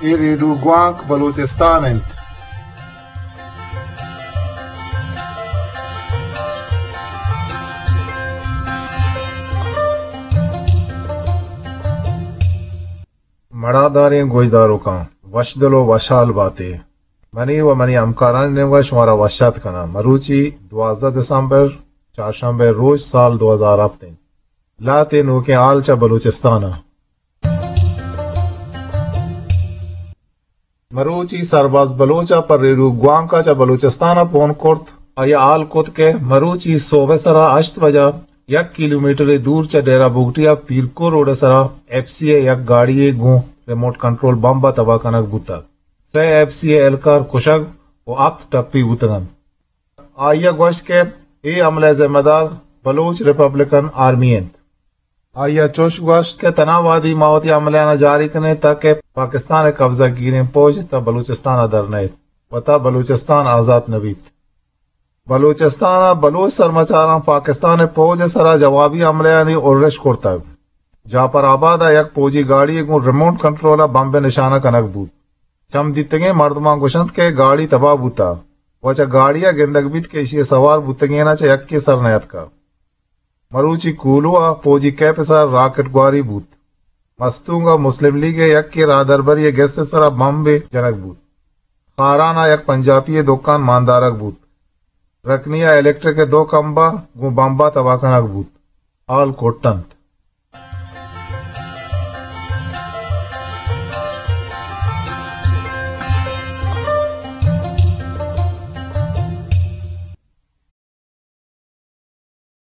اے ریڈیو گوانک بلوچستان انت۔ مڑاداریں گوشداروکاں، وشدل و وشحال باتے۔ منی و منی ہمکارانی نیمگا شمارا وش آتک کناں۔ مروچی دوازدہ دسمبر، چارشنبے روچ، سال دو ہزار ہپت انت۔ لہتے نوکیں حال چہ بلوچستان ء۔ مروچی سرباز بلوچ ء پہ ریڈیو گوانک ء چہ بلوچستان ء پون کرت۔ آئی ء حال کت کہ مروچی سہب ء سرا ہشت بجا یک کیلومیٹرے دور چہ ڈیرہ بگٹی ء پیرکو روڈ ء سرا ایف سی ء یک گاڑی ء گوں ریموٹ کنٹرول بمب ء تباہ کنگ بوتگ۔ سئے ایف سی ء اہلکار کشگ و ہپت ٹپی بوتگ انت۔ آئی ء گوشت کہ اے حملہ ء ذمہ دار بلوچ ریپبلکن آرمی انت۔ آئی ء چوش گوشت کہ تنا وہدی ما وتی حملہاناں جاری کنیں تاکہ پاکستان ء قبضہ گیریں پوج تہ بلوچستان ء در نئیت و تہ بلوچستان آزات نہ بیت۔ بلوچستان ء بلوچ سرمچاراں پاکستان ء پوج ء سرا جوابی حملہانی ارش کرتگ۔ جعفر آباد ء یک پوجی گاڑی ء گوں ریموٹ کنٹرول ء بمب ء نشانہ کنگ بوت۔ چم دیتگیں مردماں گوشنت کہ گاڑی تباہ بوتہ و چہ گاڑی ء گندگ بیت کہ ایشی ء سوار بوتگیناں چہ یکے سر نیاتکہ۔ مروچی کولو ء پوجی کیپ ء سر راکٹ گواری بوت۔ مستونگ ء مسلم لیگ ء یکے راہدربری ء گس ء سرا بمبے جنگ بوت۔ خاران ء یک پنجابی ء دکان ماندارگ بوت۔ رکنی ء الیکٹرک ء دو کمبہ گوں بمبا تباہ کنگ بوت۔ حال کٹ انت۔